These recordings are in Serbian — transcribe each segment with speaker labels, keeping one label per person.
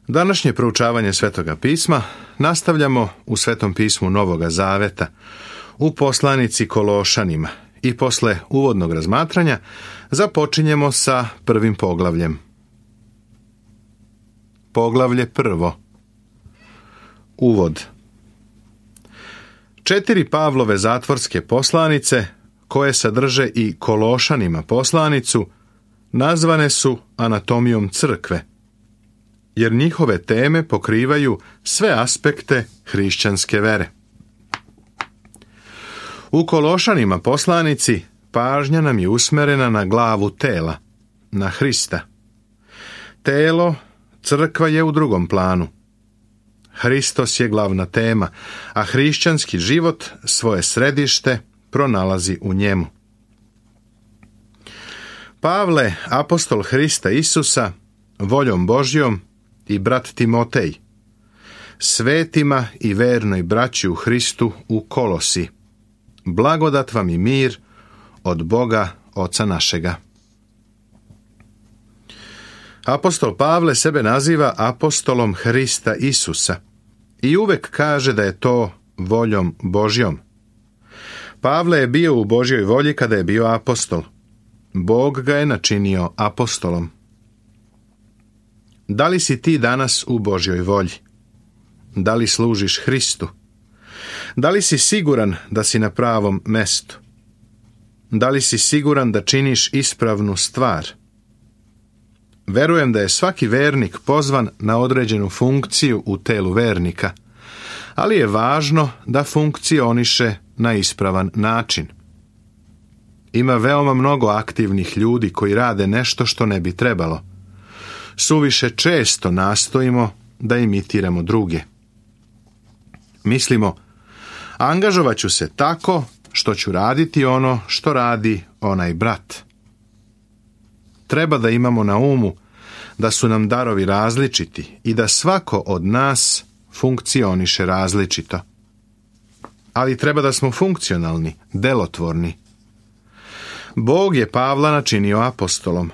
Speaker 1: Današnje proučavanje Svetoga pisma nastavljamo u Svetom pismu Novoga Zaveta, u poslanici Kološanima i posle uvodnog razmatranja započinjemo sa prvim poglavljem. Poglavlje prvo. Uvod. 4 Pavlove zatvorske poslanice, koje sadrže i Kološanima poslanicu, nazvane su anatomijom crkve, jer njihove teme pokrivaju sve aspekte hrišćanske vere. U Kološanima poslanici pažnja nam je usmerena na glavu tela, na Hrista. Telo, crkva je u drugom planu. Hristos je glavna tema, a hrišćanski život svoje središte pronalazi u njemu. Pavle, apostol Hrista Isusa, voljom Božjom, i brat Timotej, svetima i vernoj braći u Hristu u Kolosi, blagodat vam i mir od Boga Oca našega. Apostol Pavle sebe naziva apostolom Hrista Isusa i uvek kaže da je to voljom Božjom. Pavle je bio u Božjoj volji kada je bio apostol. Bog ga je načinio apostolom. Da li si ti danas u Božjoj volji? Da li služiš Hristu? Da li si siguran da si na pravom mestu? Da li si siguran da činiš ispravnu stvar? Verujem da je svaki vernik pozvan na određenu funkciju u telu vernika, ali je važno da funkcioniše na ispravan način. Ima veoma mnogo aktivnih ljudi koji rade nešto što ne bi trebalo. Suviše često nastojimo da imitiramo druge. Mislimo, angažovat ću se tako što ću raditi ono što radi onaj brat. Treba da imamo na umu da su nam darovi različiti i da svako od nas funkcioniše različito. Ali treba da smo funkcionalni, delotvorni. Bog je Pavla načinio apostolom.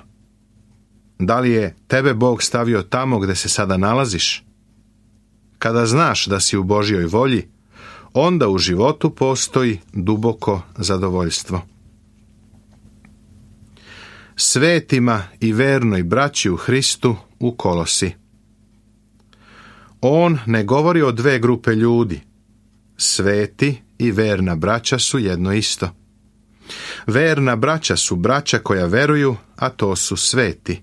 Speaker 1: Da li je tebe Bog stavio tamo gde se sada nalaziš? Kada znaš da si u Božjoj volji, onda u životu postoji duboko zadovoljstvo. Svetima i vernoj braći u Hristu u Kolosi. On ne govori o 2 grupe ljudi. Sveti i verna braća su jedno isto. Verna braća su braća koja veruju, a to su sveti.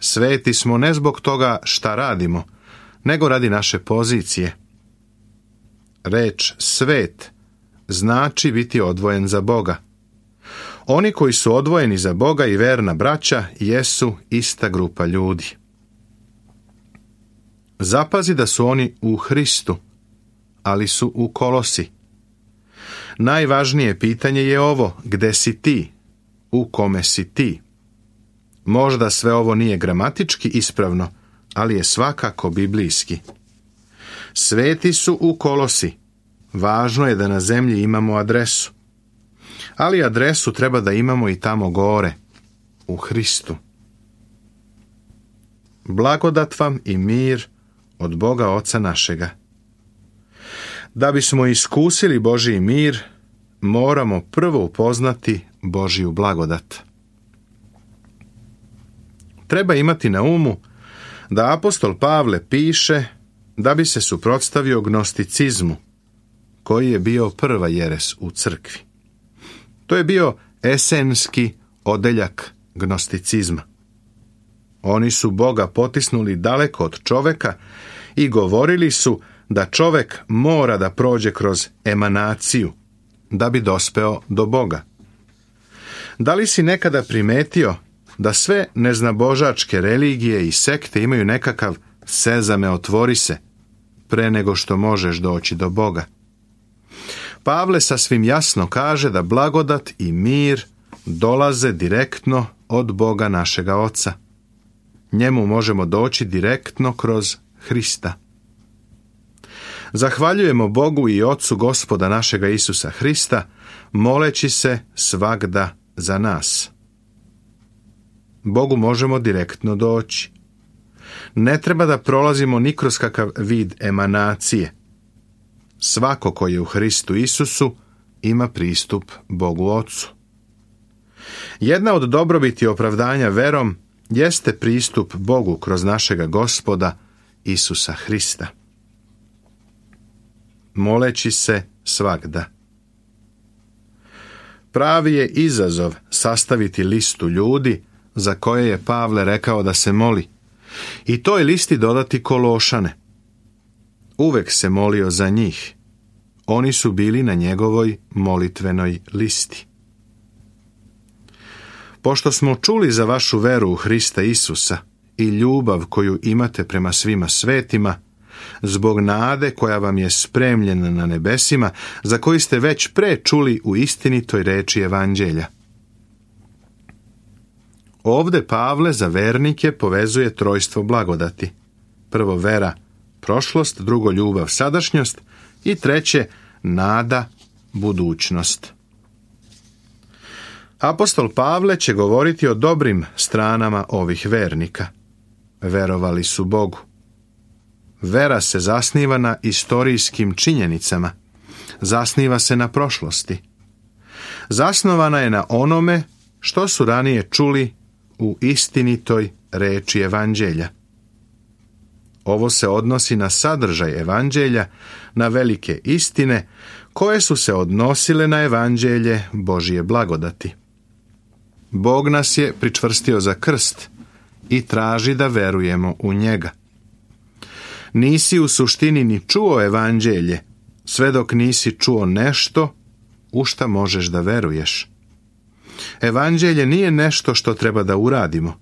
Speaker 1: Sveti smo ne zbog toga šta radimo, nego radi naše pozicije. Reč svet znači biti odvojen za Boga. Oni koji su odvojeni za Boga i verna braća jesu ista grupa ljudi. Zapazi da su oni u Hristu, ali su u Kolosi. Najvažnije pitanje je ovo: gde si ti? U kome si ti? Možda sve ovo nije gramatički ispravno, ali je svakako biblijski. Sveti su u Kolosi. Važno je da na zemlji imamo adresu. Ali adresu treba da imamo i tamo gore, u Hristu. Blagodat vam i mir od Boga Oca našega. Da bismo iskusili Božji mir, moramo prvo upoznati Božju blagodat. Treba imati na umu da apostol Pavle piše da bi se suprotstavio gnosticizmu, koji je bio prva jeres u crkvi. To je bio esenski odeljak gnosticizma. Oni su Boga potisnuli daleko od čoveka i govorili su da čovek mora da prođe kroz emanaciju da bi dospeo do Boga. Da li si nekada primetio da sve neznabožačke religije i sekte imaju nekakav sezame otvori se pre nego što možeš doći do Boga? Pavle sasvim jasno kaže da blagodat i mir dolaze direktno od Boga našega Oca. Njemu možemo doći direktno kroz Hrista. Zahvaljujemo Bogu i Ocu Gospoda našega Isusa Hrista, moleći se svagda za nas. Bogu možemo direktno doći. Ne treba da prolazimo ni kroz kakav vid emanacije. Svako ko je u Hristu Isusu ima pristup Bogu Ocu. Jedna od dobrobiti opravdanja verom jeste pristup Bogu kroz našega Gospoda Isusa Hrista. Moleći se svagda. Pravi je izazov sastaviti listu ljudi za koje je Pavle rekao da se moli i toj listi dodati Kološane. Uvek se molio za njih. Oni su bili na njegovoj molitvenoj listi. Pošto smo čuli za vašu veru u Hrista Isusa i ljubav koju imate prema svima svetima, zbog nade koja vam je spremljena na nebesima, za koju ste već pre čuli u istinitoj reči Evanđelja. Ovde Pavle za vernike povezuje trojstvo blagodati. Prvo vera, prošlost, drugo ljubav, sadašnjost i treće nada, budućnost. Apostol Pavle će govoriti o dobrim stranama ovih vernika. Verovali su Bogu. Vera se zasniva na istorijskim činjenicama. Zasniva se na prošlosti. Zasnovana je na onome što su ranije čuli u istinitoj reči Evanđelja. Ovo se odnosi na sadržaj Evanđelja, na velike istine koje su se odnosile na Evanđelje Božije blagodati. Bog nas je pričvrstio za krst i traži da verujemo u njega. Nisi u suštini ni čuo Evanđelje, sve dok nisi čuo nešto u šta možeš da veruješ. Evanđelje nije nešto što treba da uradimo.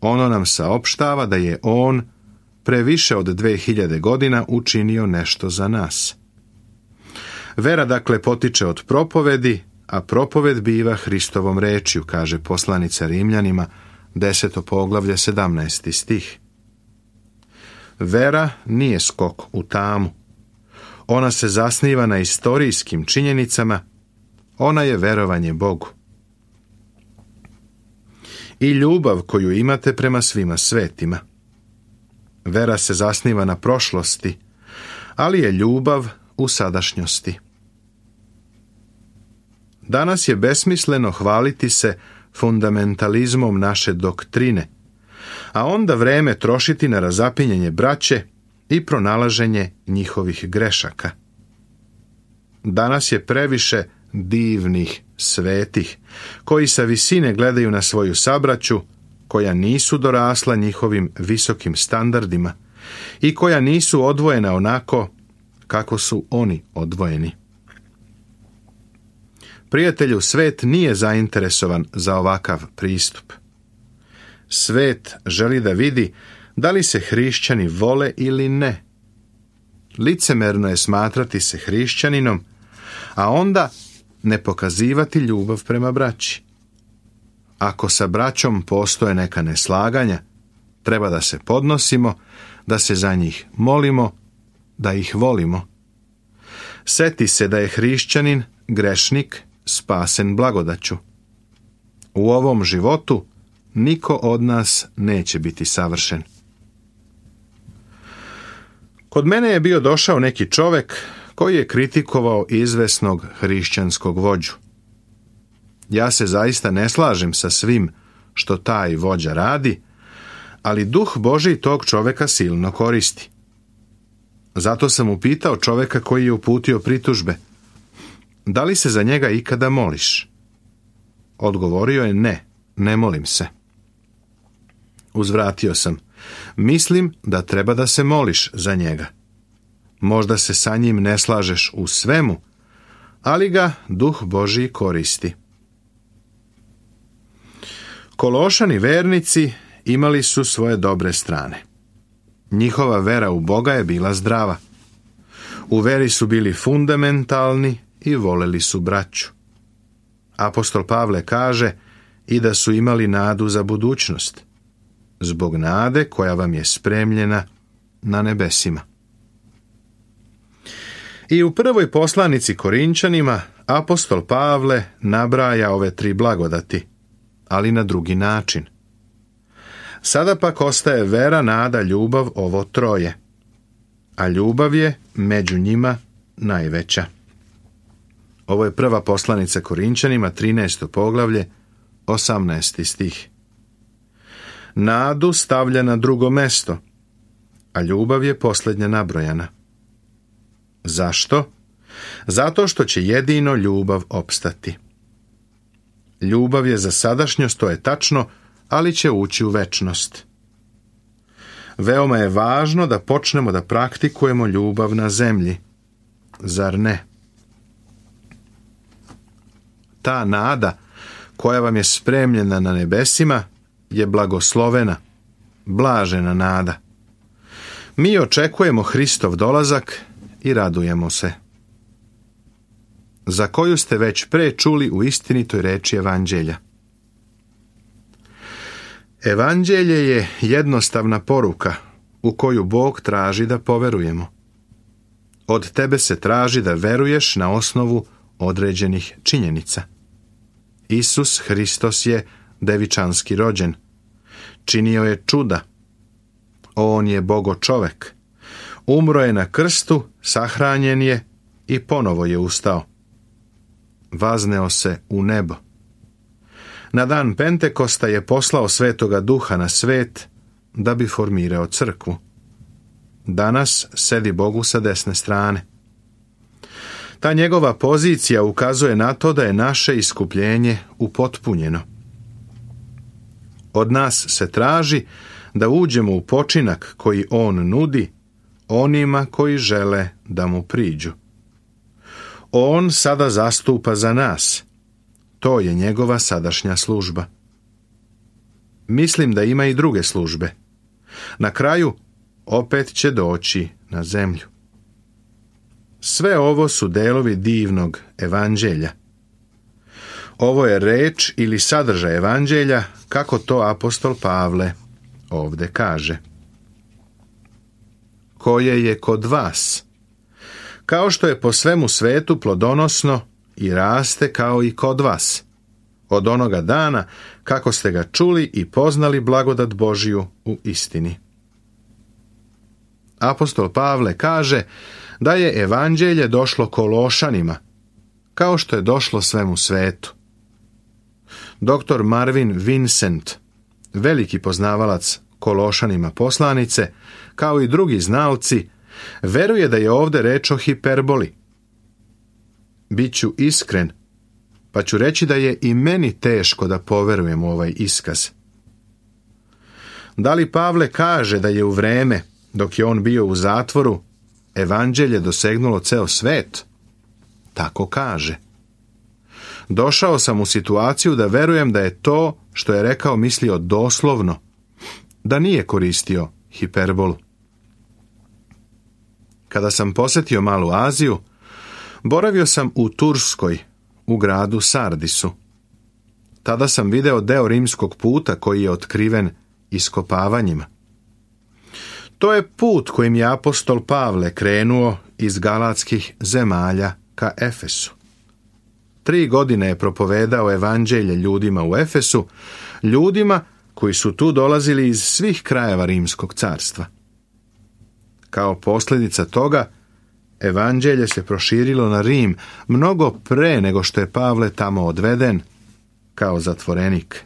Speaker 1: Ono nam saopštava da je on pre više od 2000 godina učinio nešto za nas. Vera dakle potiče od propovedi, a propoved biva Hristovom rečju, kaže poslanica Rimljanima, 10. poglavlje, 17. stih. Vera nije skok u tamu. Ona se zasniva na istorijskim činjenicama, ona je verovanje Bogu. I ljubav koju imate prema svima svetima. Vera se zasniva na prošlosti, ali je ljubav u sadašnjosti. Danas je besmisleno hvaliti se fundamentalizmom naše doktrine, a onda vreme trošiti na razapinjanje braće i pronalaženje njihovih grešaka. Danas je previše divnih, svetih, koji sa visine gledaju na svoju sabraću, koja nisu dorasla njihovim visokim standardima i koja nisu odvojena onako kako su oni odvojeni. Prijatelju, svet nije zainteresovan za ovakav pristup. Svet želi da vidi da li se hrišćani vole ili ne. Licemerno je smatrati se hrišćaninom, a onda ne pokazivati ljubav prema braći. Ako sa braćom postoje neka neslaganja, treba da se podnosimo, da se za njih molimo, da ih volimo. Seti se da je hrišćanin, grešnik, spasen blagodaću. U ovom životu niko od nas neće biti savršen. Kod mene je bio došao neki čovek koji je kritikovao izvesnog hrišćanskog vođu. Ja se zaista ne slažem sa svim što taj vođa radi, ali Duh Božji tog čoveka silno koristi. Zato sam upitao čoveka koji je uputio pritužbe: da li se za njega ikada moliš? Odgovorio je: ne molim se. Uzvratio sam: mislim da treba da se moliš za njega. Možda se sa njim ne slažeš u svemu, ali ga Duh Božji koristi. Kološani vernici imali su svoje dobre strane. Njihova vera u Boga je bila zdrava. U veri su bili fundamentalni i voleli su braću. Apostol Pavle kaže i da su imali nadu za budućnost, zbog nade koja vam je spremljena na nebesima. I u prvoj poslanici Korinčanima apostol Pavle nabraja ove tri blagodati, ali na drugi način. Sada pak ostaje vera, nada, ljubav, ovo troje. A ljubav je među njima najveća. Ovo je prva poslanica Korinčanima, 13. poglavlje, 18. stih. Nadu stavlja na drugo mesto, a ljubav je posljednja nabrojana. Zašto? Zato što će jedino ljubav opstati. Ljubav je za sadašnjost, to je tačno, ali će ući u večnost. Veoma je važno da počnemo da praktikujemo ljubav na zemlji. Zar ne? Ta nada koja vam je spremljena na nebesima je blagoslovena, blažena nada. Mi očekujemo Hristov dolazak i radujemo se. Za koju ste već pre čuli u istinitoj reči Evanđelja. Evanđelje je jednostavna poruka u koju Bog traži da poverujemo. Od tebe se traži da veruješ na osnovu određenih činjenica. Isus Hristos je devičanski rođen. Činio je čuda. On je Bogo čovek. Umro je na krstu, sahranjen je i ponovo je ustao. Vazneo se u nebo. Na dan Pentekosta je poslao Svetoga Duha na svet da bi formirao crkvu. Danas sedi Bogu sa desne strane. Ta njegova pozicija ukazuje na to da je naše iskupljenje upotpunjeno. Od nas se traži da uđemo u počinak koji on nudi onima koji žele da mu priđu. On sada zastupa za nas. To je njegova sadašnja služba. Mislim da ima i druge službe. Na kraju opet će doći na zemlju. Sve ovo su delovi divnog evanđelja. Ovo je reč ili sadržaj evanđelja, kako to apostol Pavle ovde kaže. Koje je kod vas, kao što je po svemu svetu plodonosno i raste kao i kod vas, od onoga dana kako ste ga čuli i poznali blagodat Božiju u istini. Apostol Pavle kaže da je evanđelje došlo Kološanima, kao što je došlo svemu svetu. Dr. Marvin Vincent, veliki poznavalac Kološanima poslanice, kao i drugi znalci, veruje da je ovde reč o hiperboli. Biću iskren, pa ću reći da je i meni teško da poverujem u ovaj iskaz. Da li Pavle kaže da je u vreme, dok je on bio u zatvoru, evanđelje dosegnulo ceo svet? Tako kaže. Došao sam u situaciju da verujem da je to što je rekao mislio doslovno, da nije koristio hiperbolu. Kada sam posjetio Malu Aziju, boravio sam u Turskoj, u gradu Sardisu. Tada sam video deo rimskog puta koji je otkriven iskopavanjima. To je put kojim je apostol Pavle krenuo iz galatskih zemalja ka Efesu. 3 godine je propovedao evanđelje ljudima u Efesu, ljudima koji su tu dolazili iz svih krajeva Rimskog carstva. Kao posljedica toga, evanđelje se proširilo na Rim mnogo pre nego što je Pavle tamo odveden kao zatvorenik.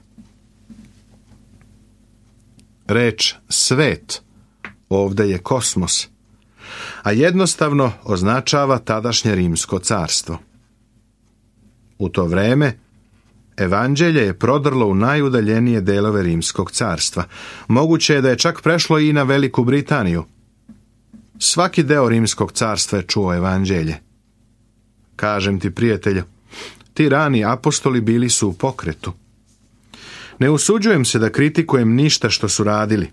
Speaker 1: Reč svet ovdje je kosmos, a jednostavno označava tadašnje Rimsko carstvo. U to vreme evanđelje je prodrlo u najudaljenije delove Rimskog carstva. Moguće je da je čak prešlo i na Veliku Britaniju. Svaki deo Rimskog carstva je čuo evanđelje. Kažem ti, prijatelju, ti rani apostoli bili su u pokretu. Ne usuđujem se da kritikujem ništa što su radili.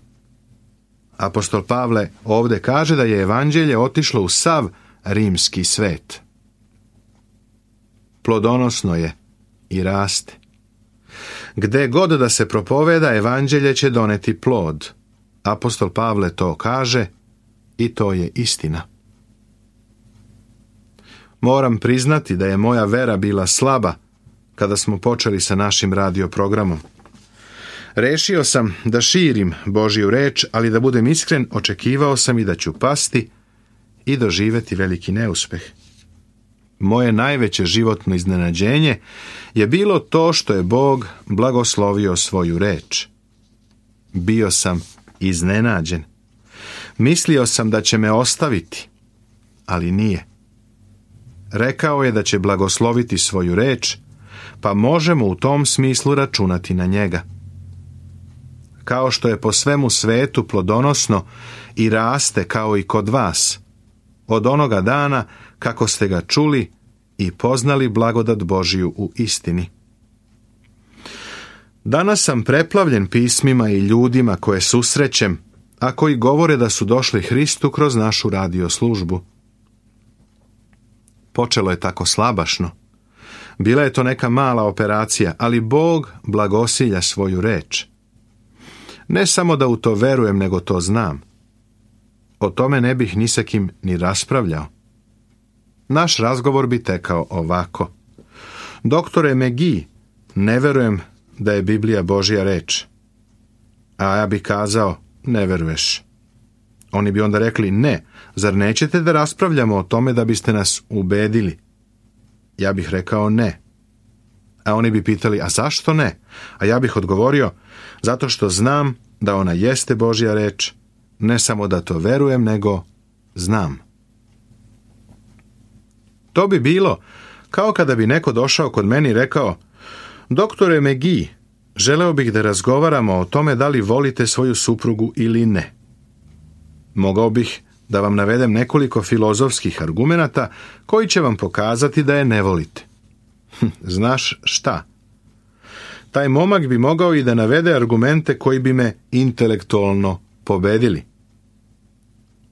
Speaker 1: Apostol Pavle ovdje kaže da je evanđelje otišlo u sav rimski svet. Plodonosno je i raste. Gde god da se propoveda, evanđelje će doneti plod. Apostol Pavle to kaže i to je istina. Moram priznati da je moja vera bila slaba kada smo počeli sa našim radio programom. Rešio sam da širim Božju reč, ali da budem iskren, očekivao sam i da ću pasti i doživjeti veliki neuspeh. Moje najveće životno iznenađenje je bilo to što je Bog blagoslovio svoju reč. Bio sam iznenađen. Mislio sam da će me ostaviti, ali nije. Rekao je da će blagosloviti svoju reč, pa možemo u tom smislu računati na njega. Kao što je po svemu svetu plodonosno i raste kao i kod vas, od onoga dana kako ste ga čuli i poznali blagodat Božiju u istini. Danas sam preplavljen pismima i ljudima koje susrećem, a koji govore da su došli Hristu kroz našu radio službu. Počelo je tako slabašno. Bila je to neka mala operacija, ali Bog blagosilja svoju reč. Ne samo da u to verujem, nego to znam. O tome ne bih ni sa kim ni raspravljao. Naš razgovor bi tekao ovako. Doktore McGee, ne verujem da je Biblija Božja reč. A ja bih kazao, ne veruješ. Oni bi onda rekli, ne, zar nećete da raspravljamo o tome da biste nas ubedili? Ja bih rekao ne. A oni bi pitali, a zašto ne? A ja bih odgovorio, zato što znam da ona jeste Božja reč, ne samo da to verujem, nego znam. To bi bilo kao kada bi neko došao kod meni i rekao, doktore McGee, želeo bih da razgovaramo o tome da li volite svoju suprugu ili ne. Mogao bih da vam navedem nekoliko filozofskih argumenata koji će vam pokazati da je ne volite. Znaš šta? Taj momak bi mogao i da navede argumente koji bi me intelektualno pobedili.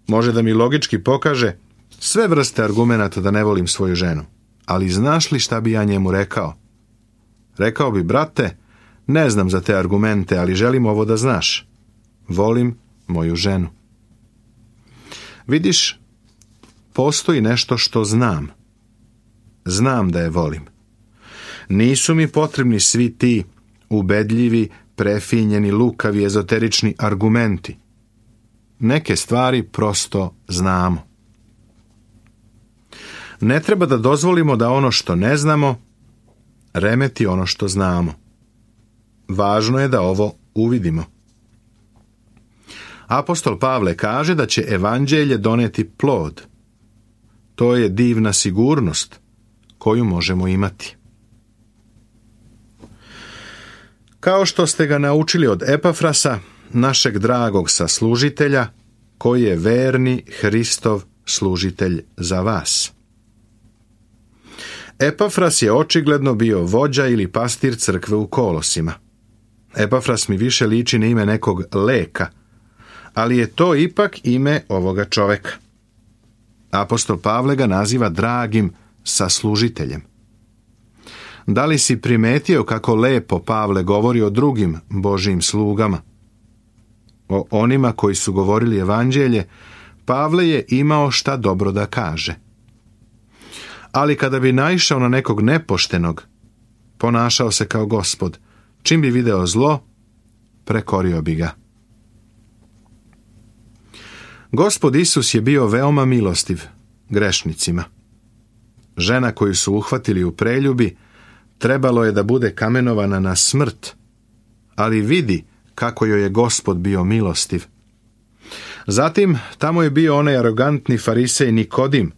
Speaker 1: Može da mi logički pokaže sve vrste argumenata da ne volim svoju ženu. Ali znaš li šta bi ja njemu rekao? Rekao bi, brate, ne znam za te argumente, ali želim ovo da znaš. Volim moju ženu. Vidiš, postoji nešto što znam. Znam da je volim. Nisu mi potrebni svi ti ubedljivi, prefinjeni, lukavi, ezoterični argumenti. Neke stvari prosto znamo. Ne treba da dozvolimo da ono što ne znamo remeti ono što znamo. Važno je da ovo uvidimo. Apostol Pavle kaže da će evanđelje doneti plod. To je divna sigurnost koju možemo imati. Kao što ste ga naučili od Epafrasa, našeg dragog saslužitelja, koji je verni Hristov služitelj za vas. Epafras je očigledno bio vođa ili pastir crkve u Kolosima. Epafras mi više liči na ime nekog leka, ali je to ipak ime ovoga čoveka. Apostol Pavle ga naziva dragim saslužiteljem. Da li si primetio kako lepo Pavle govori o drugim Božjim slugama? O onima koji su govorili evanđelje, Pavle je imao šta dobro da kaže. Ali kada bi naišao na nekog nepoštenog, ponašao se kao Gospod. Čim bi video zlo, prekorio bi ga. Gospod Isus je bio veoma milostiv grešnicima. Žena koju su uhvatili u preljubi trebalo je da bude kamenovana na smrt, ali vidi kako joj je Gospod bio milostiv. Zatim tamo je bio onaj arogantni farisej Nikodim,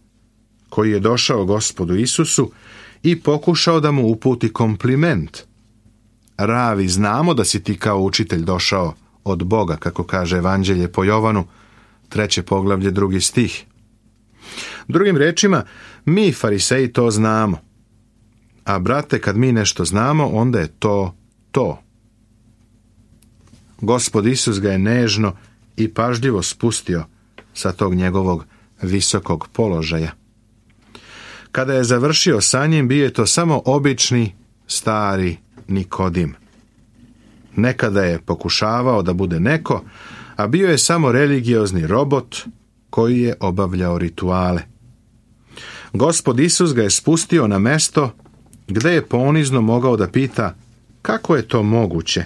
Speaker 1: koji je došao Gospodu Isusu i pokušao da mu uputi kompliment. Ravi, znamo da si ti kao učitelj došao od Boga, kako kaže evanđelje po Jovanu, 3. poglavlje, 2. stih. Drugim rečima, mi fariseji to znamo. A brate, kad mi nešto znamo, onda je to. Gospod Isus ga je nežno i pažljivo spustio sa tog njegovog visokog položaja. Kada je završio sa njim, bio je to samo obični, stari Nikodim. Nekada je pokušavao da bude neko, a bio je samo religiozni robot koji je obavljao rituale. Gospod Isus ga je spustio na mesto gde je ponizno mogao da pita kako je to moguće.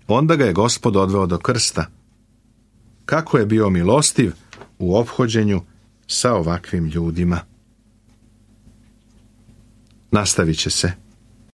Speaker 1: Onda ga je Gospod odveo do krsta. Kako je bio milostiv u ophođenju sa ovakvim ljudima. Nastavit će se.